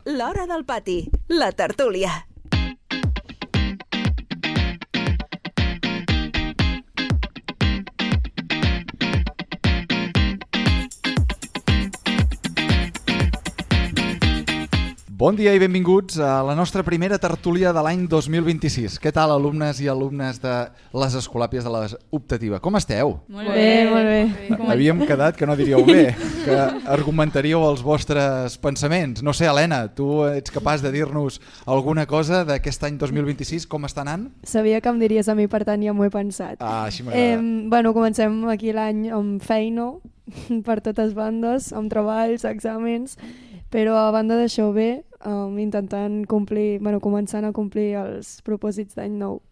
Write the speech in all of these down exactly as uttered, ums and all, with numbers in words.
L'Hora del Pati, la tertúlia. Bon dia i benvinguts a la nostra primera tertúlia de l'any dos mil vint-i-sis. Què tal, alumnes i alumnes de les Escolàpies de l'Optativa? Com esteu? Molt bé, molt bé. Havíem quedat que no diríeu bé, que argumentaríeu els vostres pensaments. No sé, Helena, tu ets capaç de dir-nos alguna cosa d'aquest any dos mil vint-i-sis? Com està anant? Sabia que em diries a mi, per tant ja m'ho he pensat. Ah, així m'agrada. Eh, bueno, comencem aquí l'any amb feina per totes bandes, amb treballs, exàmens, però a banda d'això bé, um, intentant complir, bueno, començant a complir els propòsits d'any nou.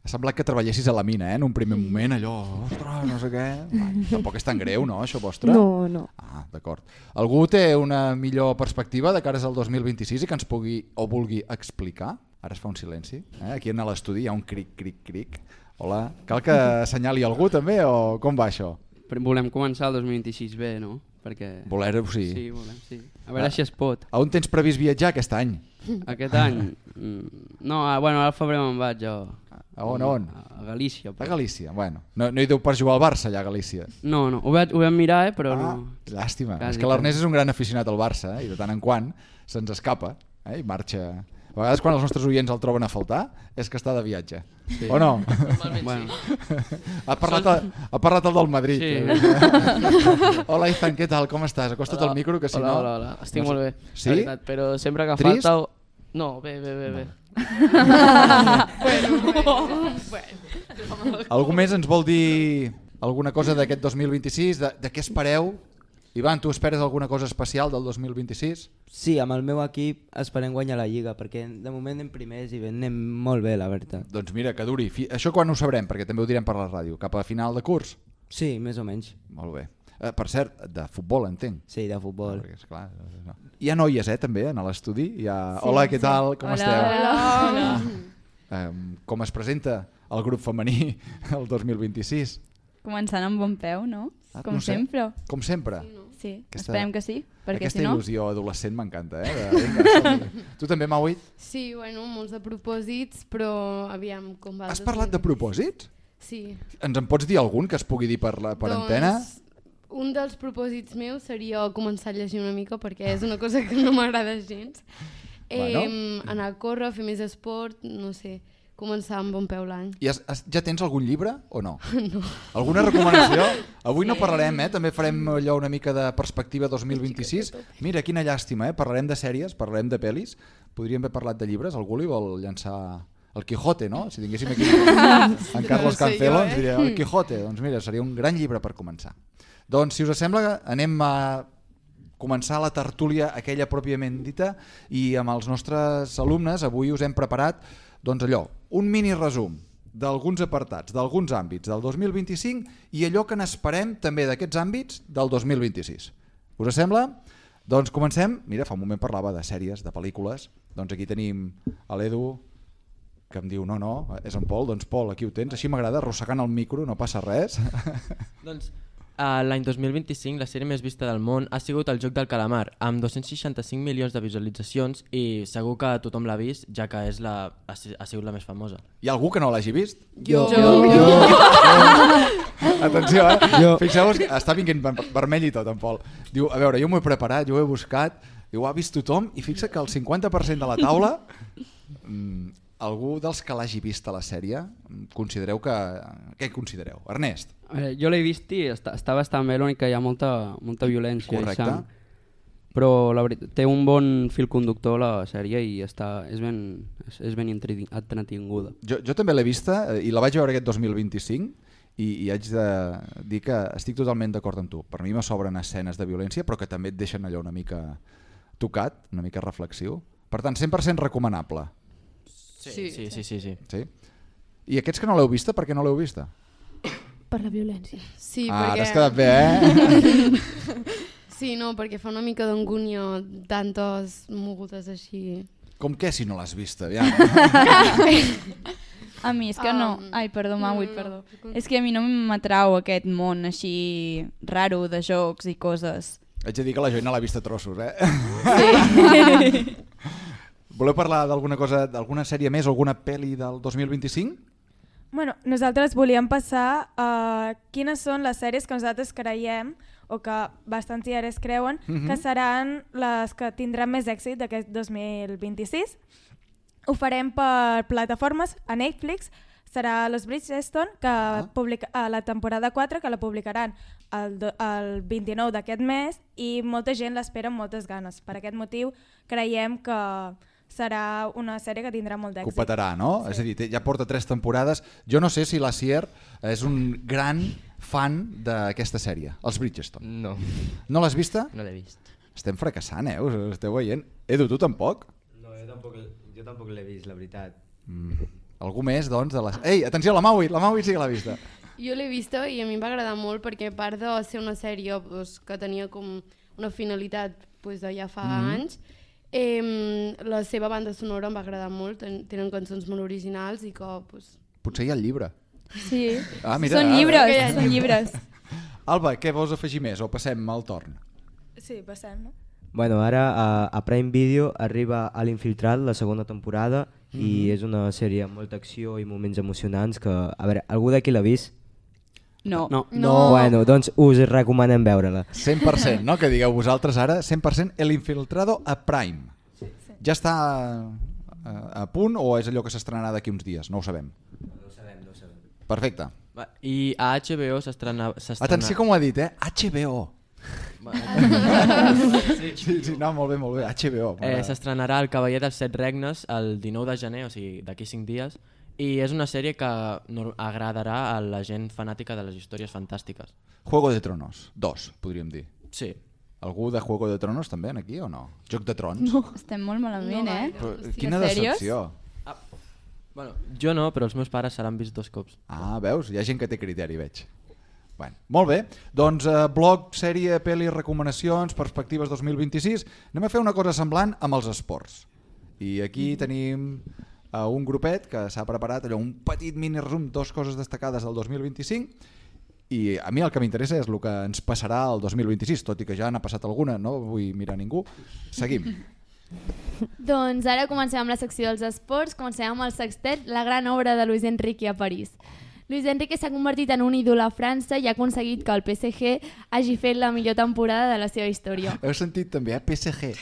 Ha semblat que treballessis a la mina, eh? En un primer moment, allò, ostres, no sé què... Va, tampoc és tan greu, no, això vostre? No, no. Ah, d'acord. Algú té una millor perspectiva de cares al dos mil vint-i-sis i que ens pugui o vulgui explicar? Ara es fa un silenci. Eh? Aquí a l'estudi hi ha un cric, cric, cric. Hola. Cal que assenyali algú també o com va això? Volem començar el dos mil vint-i-sis bé, no? Perquè... Voler-ho, sí. Sí, volem, sí. A veure ah. si es pot. A on tens previst viatjar aquest any? Aquest any? No, bueno, al febrer me'n vaig jo. A on, a on? A Galícia. Però... A Galícia, bueno. No, no hi deu per jugar al Barça allà a Galícia? No, no, ho, vaig, ho vam mirar, eh, però ah, no... Llàstima. Quasi, és que l'Ernest és un gran aficionat al Barça, eh, i de tant en quant se'ns escapa, eh, i marxa... A vegades quan els nostres oients el troben a faltar és que està de viatge, sí. O no? Bueno. ha, parlat el, ha parlat el del Madrid. Sí. Hola Ethan, què tal? Com estàs? Acosta't al micro que si hola, no... Hola, hola, estic no sé. Molt bé, sí? veritat, però sempre que Trist? falta... No, bé, bé, bé, bé. bueno, bueno. Algú més ens vol dir alguna cosa d'aquest dos mil vint-i-sis? De, de què espereu? Ivan, tu esperes alguna cosa especial del dos mil vint-i-sis? Sí, amb el meu equip esperem guanyar la Lliga, perquè de moment anem primers i anem molt bé, la veritat. Doncs mira, que duri. Això quan ho sabrem? Perquè també ho direm per la ràdio. Cap a final de curs? Sí, més o menys. Molt bé. Eh, per cert, de futbol, entenc. Sí, de futbol. No, esclar, no. Hi ha noies, eh, també, a l'estudi? Ha... Sí, hola, què tal? Com hola, esteu? Hola, hola. Ah, eh, com es presenta el grup femení el dos mil vint-i-sis? Començant amb bon peu, no? Ah, Com no sé. sempre. Com sempre? Sí, no? Sí. Aquesta, esperem que sí, perquè aquesta si no... il·lusió adolescent m'encanta, eh? De, vinga, tu també, Mauit? Sí, bueno, molts de propòsits, però aviam com va... Has parlat de propòsits? Sí. Ens en pots dir algun que es pugui dir per, la, per doncs, antena? Un dels propòsits meus seria començar a llegir una mica, perquè és una cosa que no m'agrada gens. Bueno. Eh, anar a córrer, fer més esport, no sé... Començar amb bon peu l'any. I has, has, ja tens algun llibre o no? No. Alguna recomanació? Avui no parlarem, eh? També farem allò una mica de perspectiva dos mil vint-i-sis. Mira, quina llàstima, eh? Parlarem de sèries, parlarem de pel·lis. Podríem haver parlat de llibres. Algú li vol llançar el Quijote, no? Si tinguéssim aquí en Carlos Cancelo, ens diria el Quijote. Doncs mira, seria un gran llibre per començar. Doncs, si us sembla, anem a començar la tertúlia, aquella pròpiament dita, i amb els nostres alumnes avui us hem preparat doncs allò, un mini resum d'alguns apartats, d'alguns àmbits del dos mil vint-i-cinc i allò que n'esperem també d'aquests àmbits del dos mil vint-i-sis. Us sembla? Doncs comencem. Mira, fa un moment parlava de sèries, de pel·lícules. Doncs aquí tenim l'Edu, que em diu no, no, és en Pol. Doncs Pol, aquí ho tens. Així m'agrada, arrossegant el micro, no passa res. Doncs uh, l'any dos mil vint-i-cinc la sèrie més vista del món ha sigut El Joc del Calamar, amb dos-cents seixanta-cinc milions de visualitzacions i segur que tothom l'ha vist, ja que és la, ha, ha sigut la més famosa. Hi ha algú que no l'hagi vist? Jo. Jo. jo. Atenció, eh? Jo. Fixeu-vos que està vinguent vermell i tot, en Pol. Diu, a veure, jo m'ho he preparat, jo ho he buscat, diu, ho ha vist tothom i fixa que el cinquanta per cent de la taula... Mm, algú dels que l'hagi vist a la sèrie, considereu que... Què considereu? Ernest? Eh, jo l'he vist i està, està bastant bé, l'únic que hi ha molta, molta violència. Correcte. I sang. Però la veritat, té un bon fil conductor la sèrie i està, és ben, és, és ben entretinguda. Jo, jo també l'he vista i la vaig veure aquest dos mil vint-i-cinc i, i haig de dir que estic totalment d'acord amb tu. Per mi me sobren escenes de violència però que també et deixen allò una mica tocat, una mica reflexiu. Per tant, cent per cent recomanable. Sí, sí, sí, sí, sí. Sí? I aquests que no l'heu vista, per què no l'heu vista? Per la violència. Sí, ah, perquè... t'has quedat bé, eh? Sí, no, perquè fa una mica d'angúnia tantes mogudes així. Com què si no l'has vista? Ja. A mi és que no... Um, Ai, perdó, Maui, no, no, perdó. no. És que a mi no m'atrau aquest món així raro de jocs i coses. Haig de dir que la Joina l'ha vist a trossos, eh? Sí. Voleu parlar d'alguna cosa, d'alguna sèrie més o alguna pel·li del dos mil vint-i-cinc? Bueno, nosaltres volíem passar a quines són les sèries que nosaltres creiem o que bastants diaris creuen Mhm. que seran les que tindran més èxit d'aquest dos mil vint-i-sis. Ho farem per plataformes, a Netflix, serà Los Bridgerton, que Ah. publica, a la temporada quatre, que la publicaran el, do- el vint-i-nou d'aquest mes, i molta gent l'espera amb moltes ganes. Per aquest motiu creiem que serà una sèrie que tindrà molt Que ho d'èxit. petarà, no? Sí. És a dir, té- ja porta tres temporades. Jo no sé si la Sier és un gran fan d'aquesta sèrie, els Bridgerton. No. No l'has vista? No l'he vist. Estem fracassant, eh? Us esteu veient? Edu, tu tampoc? No, jo tampoc, jo tampoc l'he vist, la veritat. Mm. Algú més, doncs, de les... Ei, atenció, la Maui, la Maui sí que l'ha vista. Jo l'he vista i a mi em va agradar molt perquè a part de ser una sèrie pues, que tenia com una finalitat pues, de ja fa Mhm. anys, eh, la seva banda sonora em va agradar molt, ten- tenen cançons molt originals i que... Pues... Potser hi ha el llibre. Sí, Ah, mira, són ara. llibres, són llibres. Alba, què vols afegir més o passem al torn? Sí, passem, no? Bueno, ara a, a Prime Video arriba a l'Infiltrat, la segona temporada, i Mhm. és una sèrie amb molta acció i moments emocionants que... A veure, algú d'aquí l'ha vist? No. No. No. Bueno, doncs us recomanem veure-la. cent per cent, no? Que digueu vosaltres ara, cent per cent El Infiltrado a Prime. Sí, sí. Ja està a, a punt o és allò que s'estrenarà d'aquí uns dies? No ho sabem. No ho sabem, no ho sabem. Perfecte. Va, I a H B O s'estrena... s'estrena- Atenció com ho ha dit, eh? H B O. Va, Sí, sí, no, molt bé, molt bé. H B O. Eh, S'estrenarà El Cavaller dels Set Regnes el dinou de gener, o sigui, d'aquí cinc dies, i és una sèrie que no- agradarà a la gent fanàtica de les històries fantàstiques. Juego de Tronos, dos, podríem dir. Sí. Algú de Juego de Tronos també en aquí o no? Joc de Trons? No. Estem molt malament, No, eh? Però, Hòstia, quina sèries? decepció. Bueno, jo no, però els meus pares se l'han vist dos cops. Ah, veus? Hi ha gent que té criteri, veig. Bueno, molt bé, doncs eh, blog, sèrie, pel·li, recomanacions, perspectives dos mil vint-i-sis. Anem a fer una cosa semblant amb els esports. I aquí tenim eh, un grupet que s'ha preparat allò, un petit mini resum, dos coses destacades del dos mil vint-i-cinc, i a mi el que m'interessa és el que ens passarà el dos mil vint-i-sis, tot i que ja n'ha passat alguna, no vull mirar ningú. Seguim. Doncs ara comencem amb la secció dels esports, comencem amb el sextet, la gran obra de Luis Enrique a París. Luis Enrique s'ha convertit en un ídol a França i ha aconseguit que el P S G hagi fet la millor temporada de la seva història. Heu sentit també, eh? P S G.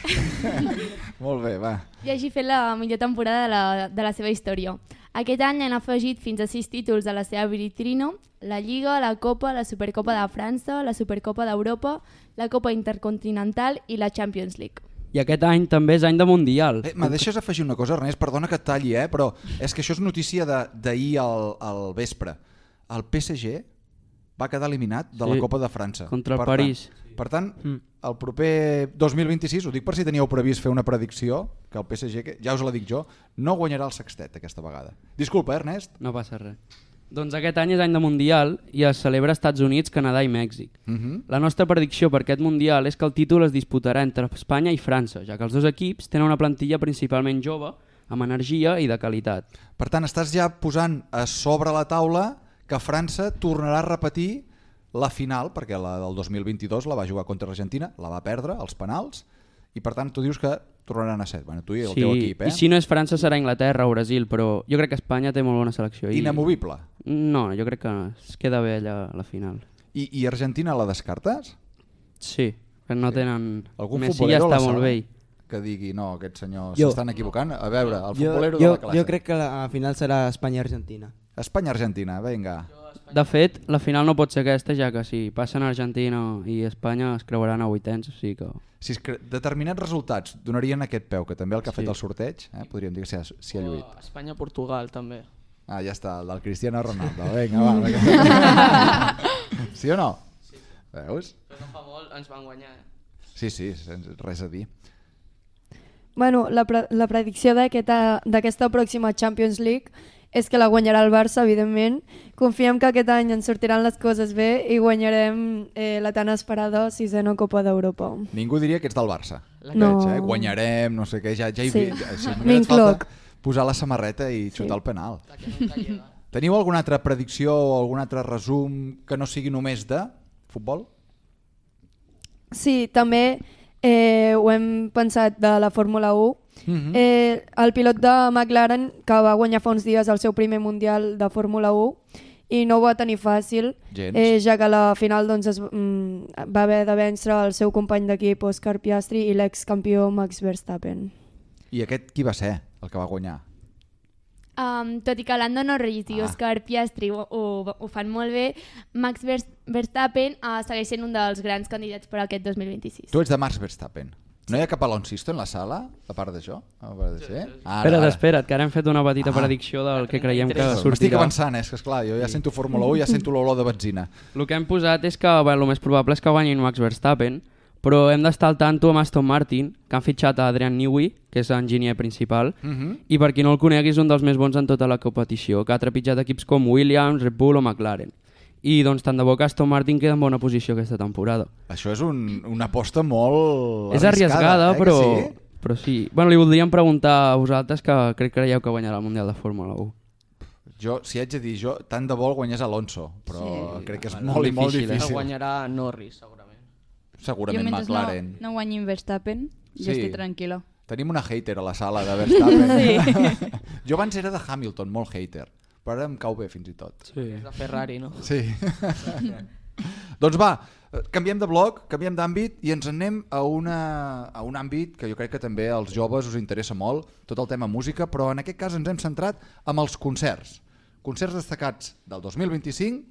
Molt bé, va. I hagi fet la millor temporada de la, de la seva història. Aquest any han afegit fins a sis títols a la seva vitrina: la Lliga, la Copa, la Supercopa de França, la Supercopa d'Europa, la Copa Intercontinental i la Champions League. I aquest any també és any de Mundial. Eh, me deixes afegir una cosa, Ernest? Perdona que et talli, eh? Però és que això és notícia de- d'ahir al, al vespre. El P S G va quedar eliminat de la Sí, Copa de França. contra el Per París. Tant, per tant, Mm. el proper dos mil vint-i-sis, ho dic per si teníeu previst fer una predicció, que el P S G, que ja us la dic jo, no guanyarà el sextet aquesta vegada. Disculpa, eh, Ernest? No passa res. Doncs aquest any és any de Mundial i es celebra als Estats Units, Canadà i Mèxic. Uh -huh. La nostra predicció per aquest Mundial és que el títol es disputarà entre Espanya i França, ja que els dos equips tenen una plantilla principalment jove, amb energia i de qualitat. Per tant, estàs ja posant a sobre la taula que França tornarà a repetir la final, perquè la del dos mil vint-i-dos la va jugar contra l'Argentina, la va perdre, als penals, i per tant tu dius que tornaran a set. Bueno, tu i el Sí, teu equip, eh? i si no és França serà Anglaterra o Brasil, però jo crec que Espanya té molt bona selecció. I... Inamovible. No, jo crec que es queda bé allà a la final. I, i Argentina la descartes? Sí, que no tenen... Algun Messi ja futbolero a la està molt sala bé. que digui, no, aquests senyors Jo. s'estan equivocant? A veure, el Jo, futbolero jo, de la classe. jo crec que la final serà Espanya-Argentina. Espanya-Argentina, vinga. De fet, la final no pot ser aquesta, ja que si passen Argentina i Espanya es creuaran a vuitens, o sigui que... Si es cre... determinats resultats donarien aquest peu, que també el que ha Sí. fet el sorteig, eh? podríem dir que s'hi ha, s'hi ha lluït. O Espanya-Portugal, també. Ah, ja està, el del Cristiano Ronaldo. Vinga, va. vinga. Sí o no? Sí. Veus? Però no fa molt ens van guanyar, eh? Sí, sí, sense res a dir. Bueno, la, pre la predicció d'aquesta d'aquesta pròxima Champions League és que la guanyarà el Barça, evidentment. Confiem que aquest any ens sortiran les coses bé i guanyarem eh, la tan esperada sisena Copa d'Europa. Ningú diria que ets del Barça. No. Veig, eh? Guanyarem, no sé què, ja, ja hi Sí. vi- ja, sí, només et M'incloc. falta posar la samarreta i xutar Sí. el penal. Teniu alguna altra predicció o algun altre resum que no sigui només de futbol? Sí, també eh, ho hem pensat de la Fórmula u, Mm-hmm. eh, el pilot de McLaren, que va guanyar fa uns dies el seu primer mundial de Fórmula u, i no ho va tenir fàcil, eh, ja que a la final doncs, es, mm, va haver de vèncer el seu company d'equip Oscar Piastri i l'excampió Max Verstappen. I aquest qui va ser el que va guanyar? Um, tot i que Lando Norris i Ah. Oscar Piastri ho, ho, ho fan molt bé, Max Verstappen uh, segueix sent un dels grans candidats per a aquest dos mil vint-i-sis. Tu ets de Max Verstappen. No hi ha cap Alonsisto en la sala, a part d'això? A part de ser? Ara, Espera't, ara. espera't, que ara hem fet una petita Ah. predicció del que creiem que M'estic sortirà. avançant, eh? És que esclar, jo ja sento Fórmula u i ja sento l'olor de benzina. El que hem posat és que bueno, el més probable és que guanyin Max Verstappen, però hem d'estar al tanto amb Aston Martin, que han fitxat a Adrian Newey, que és l'enginyer principal, Mhm. i per qui no el conegui és un dels més bons en tota la competició, que ha trepitjat equips com Williams, Red Bull o McLaren. I doncs tant de bo que Aston Martin queda en bona posició aquesta temporada. Això és un, una aposta molt És arriscada, arriesgada, eh, que però sí? però sí. Bueno, li voldríem preguntar a vosaltres que crec que creieu que guanyarà el Mundial de Fórmula u. Jo, si haig de dir, jo tant de bo el guanyés Alonso, però Sí. crec que és Bueno, molt i molt difícil, eh? difícil. El guanyarà Norris, segurament. Segurament Jo mentre McLaren. no, no guanyin Verstappen, jo Sí. estic tranquil·la. Tenim una hater a la sala de Verstappen. Sí. Jo abans era de Hamilton, molt hater, però ara em cau bé fins i tot. Sí. És de Ferrari, no? Sí. Doncs va, canviem de bloc, canviem d'àmbit i ens anem a, una, a un àmbit que jo crec que també als joves us interessa molt, tot el tema música, però en aquest cas ens hem centrat amb els concerts. Concerts destacats del dos mil vint-i-cinc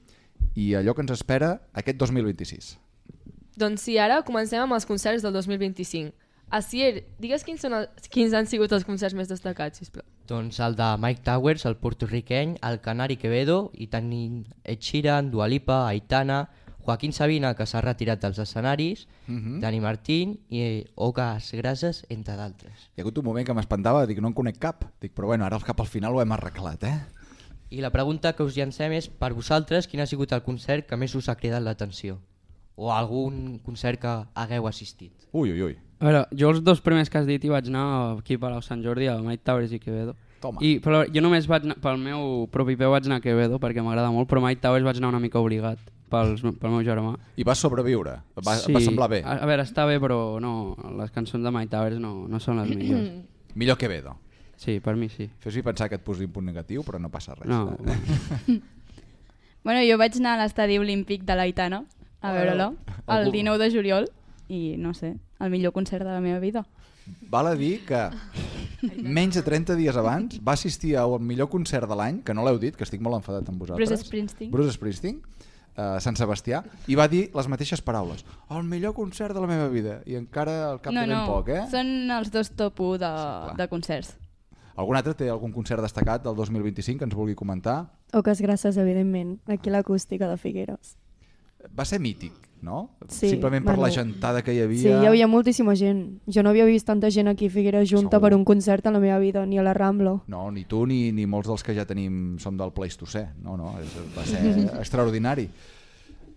i allò que ens espera aquest dos mil vint-i-sis. Doncs sí, ara comencem amb els concerts del dos mil vint-i-cinc. Asier, digues quins, són els, quins han sigut els concerts més destacats, sisplau. Doncs el de Mike Towers, el porto-riqueny, el Canari Quevedo, i tenim Ed Sheeran, Dua Lipa, Aitana, Joaquín Sabina, que s'ha retirat dels escenaris, Mhm. Dani Martín i Oques Grases, entre d'altres. Hi ha hagut un moment que m'espantava, dic, no en conec cap. Dic, però bueno, ara cap al final ho hem arreglat, eh? I la pregunta que us llancem és, per vosaltres, quin ha sigut el concert que més us ha cridat l'atenció? O algun concert que hagueu assistit? Ui, ui, ui. A veure, jo els dos primers que has dit hi vaig anar aquí a Palau Sant Jordi, a Mike Towers i Quevedo. Toma. I, però jo només vaig anar, pel meu propi peu vaig anar a Quevedo perquè m'agrada molt, però Mike Towers vaig anar una mica obligat pels, pel meu germà. I vas sobreviure? Va, va semblar bé? A, a veure, està bé, però no, les cançons de Mike Towers no, no són les millors. Millor Quevedo. Sí, per mi sí. Fes-hi pensar que et posi un punt negatiu, però no passa res. No. Bueno, jo vaig anar a l'estadi olímpic de l'Aitana a veure-lo el Algú- dinou de juliol i no sé, el millor concert de la meva vida. Val a dir que menys de trenta dies abans va assistir al millor concert de l'any, que no l'heu dit, que estic molt enfadat amb vosaltres. Bruce Springsteen. Bruce Springsteen, a Sant Sebastià, i va dir les mateixes paraules. El millor concert de la meva vida. I encara al cap no, de ben no, poc, eh? són els dos top u de, Sí, de concerts. Algun altre té algun concert destacat del dos mil vint-i-cinc que ens vulgui comentar? Oques Grasses, evidentment, aquí a l'acústica de Figueres. Va ser mític, no? Sí, Simplement per bueno, la gentada que hi havia. Sí, hi havia moltíssima gent. Jo no havia vist tanta gent aquí a Figueres junta Segur. per un concert en la meva vida, ni a la Rambla. No, ni tu ni, ni molts dels que ja tenim som del Pleistocè. No, no, és, va ser extraordinari.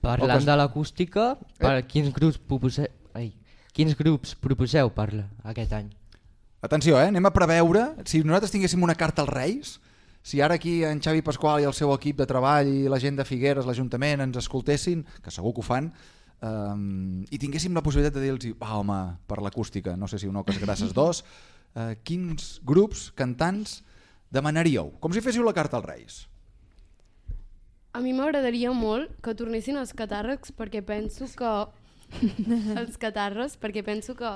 Parlant Oques- de l'acústica, per Eh? quins grups proposeu, ai, quins grups proposeu per aquest any? Atenció, eh? Anem a preveure, si nosaltres tinguéssim una carta als Reis, si ara aquí en Xavi Pasqual i el seu equip de treball i la gent de Figueres, l'Ajuntament, ens escoltessin, que segur que ho fan, um, i tinguéssim la possibilitat de dir-los, va home, per l'acústica, no sé si un Oques Grasses dos, uh, quins grups, cantants, demanaríeu? Com si féssiu la carta als Reis. A mi m'agradaria molt que tornessin els catàrrecs perquè penso que... els catarres, perquè penso que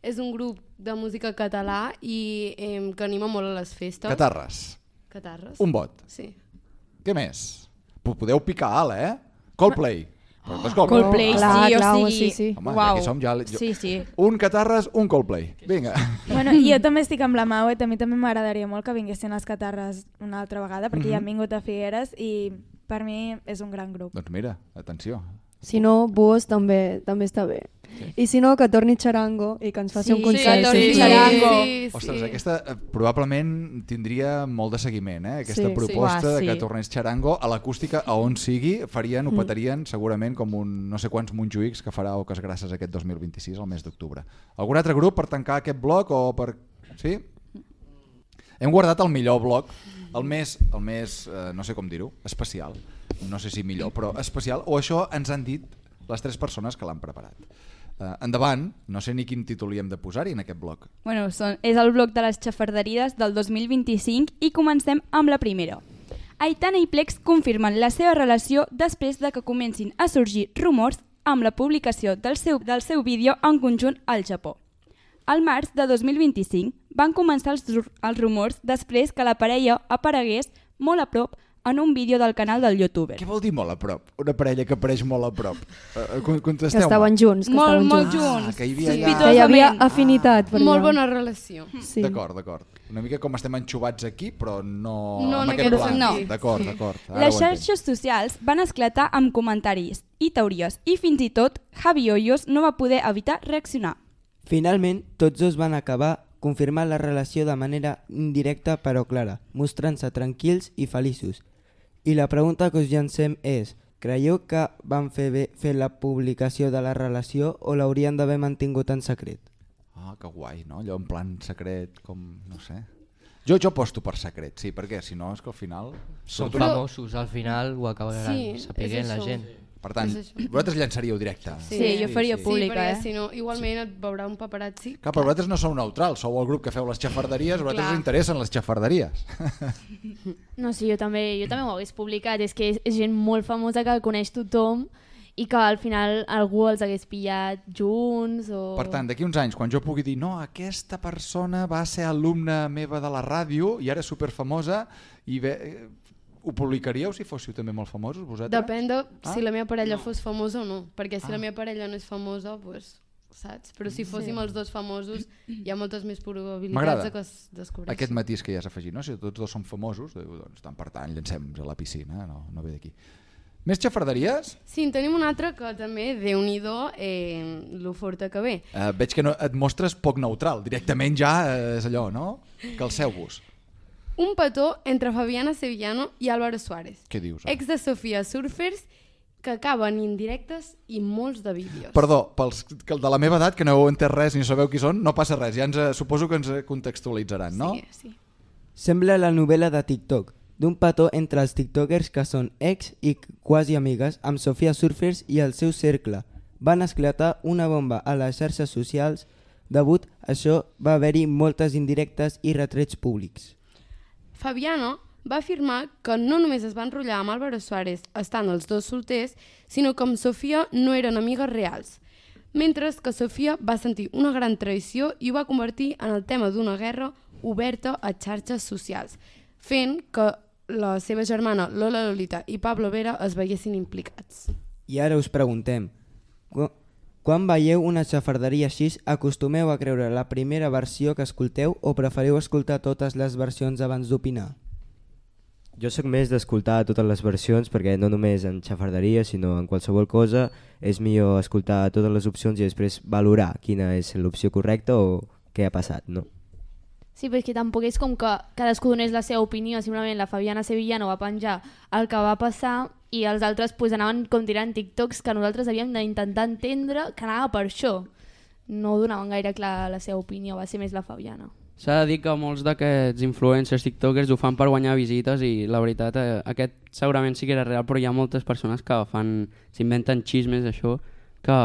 és un grup de música català i eh, que anima molt a les festes. Catarres. Catarres. Un vot. Sí. Què més? P- Podeu picar alt, eh? Coldplay. Oh, Coldplay, Clar, sí, clar, o home, sigui... sí, sí. Home, Uau. aquí som ja... Jo... Sí, sí. Un Catarres, un Coldplay. Vinga. Bueno, i jo també estic amb la Mau, a mi també m'agradaria molt que vinguessin els Catarres una altra vegada, perquè ja han vingut a Figueres i per mi és un gran grup. Doncs mira, atenció. Si no, Buos també també està bé. Sí. I si no, que torni Charango i que ens faci Sí, un concert. que torni sí. Charango. Sí, Ostres, sí. aquesta eh, probablement tindria molt de seguiment, eh? Aquesta Sí. proposta Sí. de que Sí. tornés Charango a l'acústica a on sigui, farien, ho petarien segurament com un no sé quants Montjuïcs que farà Oques Grasses aquest dos mil vint-i-sis, al mes d'octubre. Algun altre grup per tancar aquest bloc o per... Sí? Hem guardat el millor bloc, el més, el més eh, no sé com dir-ho, especial. No sé si millor, però especial. O això ens han dit les tres persones que l'han preparat. Uh, endavant, no sé ni quin títol hi hem de posar-hi en aquest bloc. Bueno, són, és el bloc de les xafarderies del dos mil vint-i-cinc i comencem amb la primera. Aitana i Plex confirmen la seva relació després de que comencin a sorgir rumors amb la publicació del seu, del seu vídeo en conjunt al Japó. Al març de dos mil vint-i-cinc van començar els, els rumors després que la parella aparegués molt a prop en un vídeo del canal del youtuber. Què vol dir molt a prop? Una parella que apareix molt a prop. Uh, contesteu-me. Que estaven junts. Que molt, estaven molt junts. junts. Ah, que hi havia, sí. allà... Que hi havia afinitat. Per Molt allà. bona relació. Sí. D'acord, d'acord. Una mica com estem enxubats aquí, però no, no en en aquest aquest plan. No. D'acord, Sí. d'acord. Ara Les ho entenc. xarxes socials van esclatar amb comentaris i teories i fins i tot Javi Hoyos no va poder evitar reaccionar. Finalment, tots dos van acabar confirmant la relació de manera indirecta però clara, mostrant-se tranquils i feliços. I la pregunta que us llancem és, creieu que van fer bé fer la publicació de la relació o l'haurien d'haver mantingut en secret? Ah, que guai, no? Allò en plan secret, com... no sé... Jo, jo aposto per secret, sí, perquè si no és que al final... Són Però- famosos, al final ho acabaran Sí, sapiguent és la això. gent. Per tant, És això. vosaltres llançaríeu directe. Sí, jo faria Sí, pública, perquè eh? si no, igualment et veurà un paparazzi. Clar, però vosaltres no sou neutrals, sou el grup que feu les xafarderies, a vosaltres Clar. us interessen les xafarderies. No, sí, jo també, jo també ho hagués publicat. És que és, és gent molt famosa que coneix tothom i que al final algú els hagués pillat junts o... Per tant, d'aquí uns anys, quan jo pugui dir no, aquesta persona va ser alumna meva de la ràdio i ara és superfamosa, i bé, eh, ho publicaríeu si fóssiu també molt famosos vosaltres? Depèn de Ah? si la meva parella fos famosa o no, perquè si la meva parella no és famosa, pues, saps? Però si fóssim Sí. els dos famosos, hi ha moltes més probabilitats M'agrada de que es descobreixin. aquest matís que ja has afegit, no? Si tots dos són famosos, diu, doncs tant per tant, llancem-nos a la piscina, no, no ve d'aquí. Més xafarderies? Sí, en tenim una altra que també, Déu-n'hi-do, eh, lo forta que ve. Uh, veig que no, et mostres poc neutral, directament ja eh, és allò, no? Calceu-vos. Un petó entre Fabiana Sevillano i Álvaro Suárez, Què dius? eh? ex de Sofia Surfers, que acaben indirectes i molts de vídeos. Perdó, pels que de la meva edat, que no heu entès res ni sabeu qui són, no passa res, ja ens, eh, suposo que ens eh, contextualitzaran, no? Sí, sí. Sembla la novel·la de TikTok, d'un petó entre els tiktokers que són ex i quasi amigues amb Sofia Surfers i el seu cercle. Van esclatar una bomba a les xarxes socials, degut a això va haver-hi moltes indirectes i retrets públics. Fabiano va afirmar que no només es va enrotllar amb Álvaro Suárez estant els dos solters, sinó que amb Sofia no eren amigues reals, mentre que Sofia va sentir una gran traïció i ho va convertir en el tema d'una guerra oberta a xarxes socials, fent que la seva germana Lola Lolita i Pablo Vera es veiessin implicats. I ara us preguntem, qu- quan veieu una xafarderia així, acostumeu a creure la primera versió que escolteu o preferiu escoltar totes les versions abans d'opinar? Jo sóc més d'escoltar totes les versions perquè no només en xafarderia sinó en qualsevol cosa és millor escoltar totes les opcions i després valorar quina és l'opció correcta o què ha passat, no? Sí, però és que tampoc és com que cadascú donés la seva opinió, simplement la Fabiana Sevillano va penjar el que va passar i els altres pues, anaven com tirant TikToks que nosaltres havíem d'intentar entendre que anava per això. No donaven gaire clar la seva opinió, va ser més la Fabiana. S'ha de dir que molts d'aquests influencers tiktokers ho fan per guanyar visites i la veritat, eh, aquest segurament sí que era real, però hi ha moltes persones que fan, s'inventen xismes, això, que,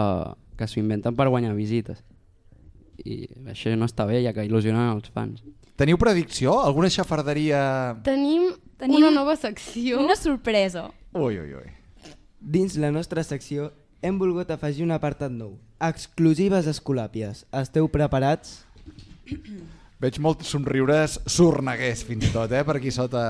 que s'ho inventen per guanyar visites. I això no està bé, ja que il·lusionen els fans. Teniu predicció? Alguna xafarderia... Tenim, Tenim una nova secció. Una sorpresa. Ui, ui, ui. Dins la nostra secció hem volgut afegir un apartat nou. Exclusives escolàpies. Esteu preparats? Veig molts somriures sorneguers fins i tot, eh, per aquí sota...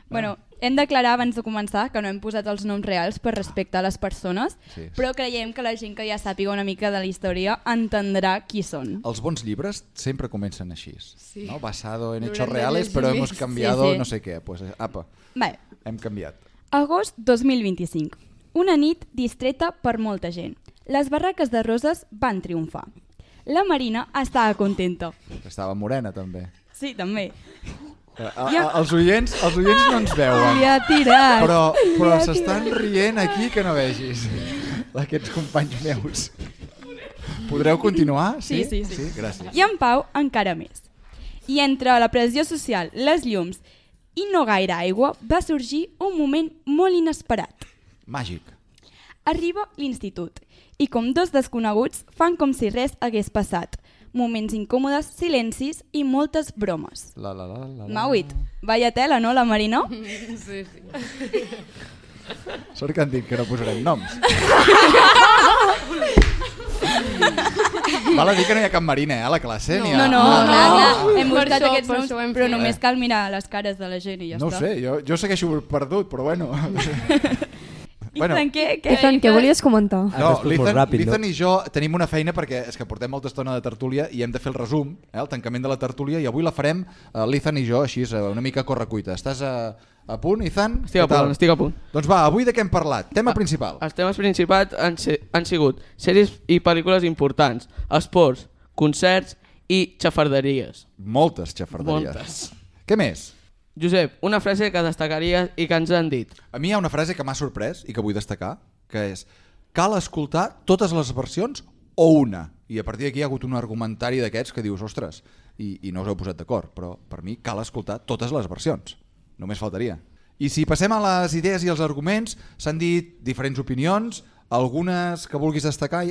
Bueno, hem d'aclarar abans de començar que no hem posat els noms reals per respecte a les persones, Sí. però creiem que la gent que ja sàpiga una mica de la història entendrà qui són. Els bons llibres sempre comencen així, Sí. ¿no? Basado en L'haurem hechos de reales, llegir però més. hemos cambiado Sí, sí. no sé què. Pues, apa, Bé, hem canviat. agost dos mil vint-i-cinc. Una nit distreta per molta gent. Les barraques de roses van triomfar. La Marina estava contenta. Estava morena, també. Sí, també. A, a, els, oients, els oients no ens veuen. Li ha tirat. Però, però Li ha s'estan tirat. rient aquí que no vegis. Aquests companys meus. Podreu continuar? Sí, sí, sí. sí gràcies. I en Pau encara més. I entre la pressió social, les llums i no gaire aigua, va sorgir un moment molt inesperat. Màgic. Arriba l'institut i com dos desconeguts fan com si res hagués passat. Moments incòmodes, silencis i moltes bromes. La, la, la, la, la. Mauit, vaya tela, no, la Marina? Sí, sí. Sort que han dit que no posarem noms. Val a dir que no hi ha cap Marina, eh, a la classe? No, ha... no, no, ah, clar, clar. no. Hem Per buscat això- aquests per noms, això ho hem però fet. només cal mirar les cares de la gent i ja No ho està. sé, jo, jo segueixo perdut, però bueno. Bueno. Ethan, què? què? Ethan, què volies comentar? No, respost molt l'Ethan ràpid, no? l'Ethan i jo tenim una feina perquè és que portem molta estona de tertúlia i hem de fer el resum, eh, el tancament de la tertúlia, i avui la farem eh, l'Ethan i jo, així, eh, una mica a correcuita. Estàs a, a punt, Ethan? Estic a Què tal? punt, estic a punt. Doncs va, avui de què hem parlat? Tema principal. Els temes principals han, se han sigut sèries i pel·lícules importants, esports, concerts i xafarderies. Moltes xafarderies. Moltes. Què més? Josep, una frase que destacaries i que ens han dit. A mi hi ha una frase que m'ha sorprès i que vull destacar, que és: cal escoltar totes les versions o una. I a partir d'aquí hi ha hagut un argumentari d'aquests que dius, ostres, i, i no us heu posat d'acord, però per mi cal escoltar totes les versions. Només faltaria. I si passem a les idees i els arguments, s'han dit diferents opinions, algunes que vulguis destacar.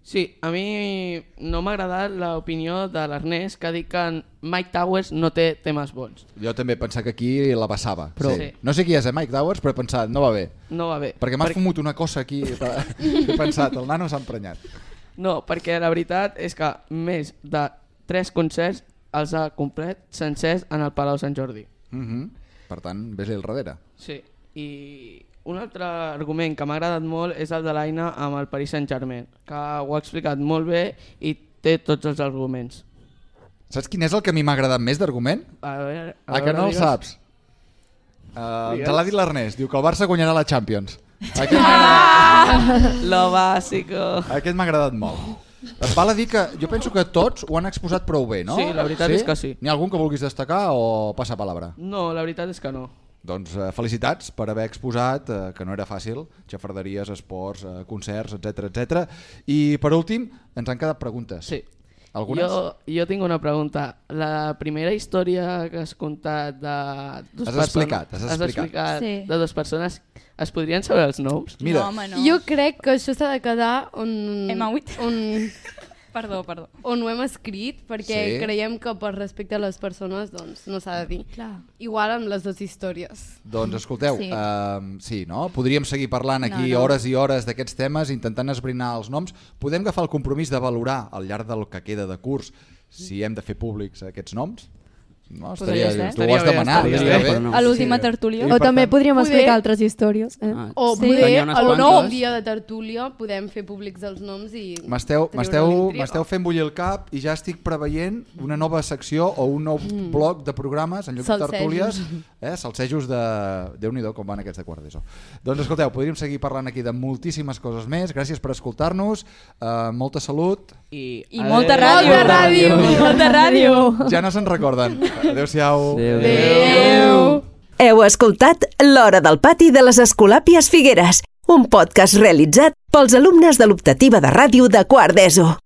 Sí, a mi no m'ha agradat l'opinió de l'Ernest que ha dit que Mike Towers no té temes bons. Jo també he pensat que aquí la passava. Però- sí. Sí. No sé qui és, eh, Mike Towers, però he pensat, no va bé. No va bé. Perquè m'has Per- fumut una cosa aquí. He pensat, el nano s'ha emprenyat. No, perquè la veritat és que més de tres concerts els ha complet sencers en el Palau Sant Jordi. Mm -hmm. Per tant, vés-hi al darrere. Sí, i un altre argument que m'ha agradat molt és el de l'Aina amb el Paris Saint-Germain, que ho ha explicat molt bé i té tots els arguments. Saps quin és el que a mi m'ha agradat més d'argument? A veure, a Ah, que veure, no el digues. saps? Uh, Digues. te l'ha dit l'Ernest, diu que el Barça guanyarà la Champions. Aquest Ah! Lo básico. Aquest m'ha agradat molt. Et val a dir que jo penso que tots ho han exposat prou bé, no? Sí, la veritat és que sí. N'hi ha algun que vulguis destacar o passar palabra? No, la veritat és que no. Doncs eh, felicitats per haver exposat, eh, que no era fàcil, xafarderies, esports, eh, concerts, etcètera, etcètera. I per últim, ens han quedat preguntes. Sí. Algunes? Jo, jo tinc una pregunta. La primera història que has contat de dos Has persones, explicat, has has explicat. explicat Sí. de dues persones, es podrien saber els noms? Mira. No, home, no. Jo crec que això s'ha de quedar on... Hem hagut. On... Perdó, perdó. On ho hem escrit, perquè Sí. creiem que per respecte a les persones doncs, no s'ha de dir. Clar. Igual amb les dues històries. Doncs escolteu, sí, Sí. uh, sí no? Podríem seguir parlant aquí No, no. hores i hores d'aquests temes, intentant esbrinar els noms. Podem agafar el compromís de valorar al llarg del que queda de curs si hem de fer públics aquests noms? No, estaria, Podria ser. tu ho has demanat. estaria estaria bé, bé. però no. A l'última tertúlia. I O per també tant- podríem Poder- explicar altres històries. Eh? Ah, O Sí. poder, Tenia unes el quantes. nou dia de tertúlia, podem fer públics els noms i... M'esteu treure m'esteu l'intriga. m'esteu fent bullir el cap i ja estic preveient una nova secció o un nou Mm. bloc de programes en lloc de Salsejos. tertúlies, eh? salsejos de... Déu-n'hi-do com van aquests de quart d'ESO. Doncs escolteu, podríem seguir parlant aquí de moltíssimes coses més. Gràcies per escoltar-nos, uh, molta salut. I, I molta ràdio. Molta ràdio. I molta ràdio. Ja no se'n recorden. Adéu-siau. Adéu. Adéu. Heu escoltat L'Hora del Pati de les Escolàpies Figueres, un podcast realitzat pels alumnes de l'optativa de ràdio de quart d'ESO.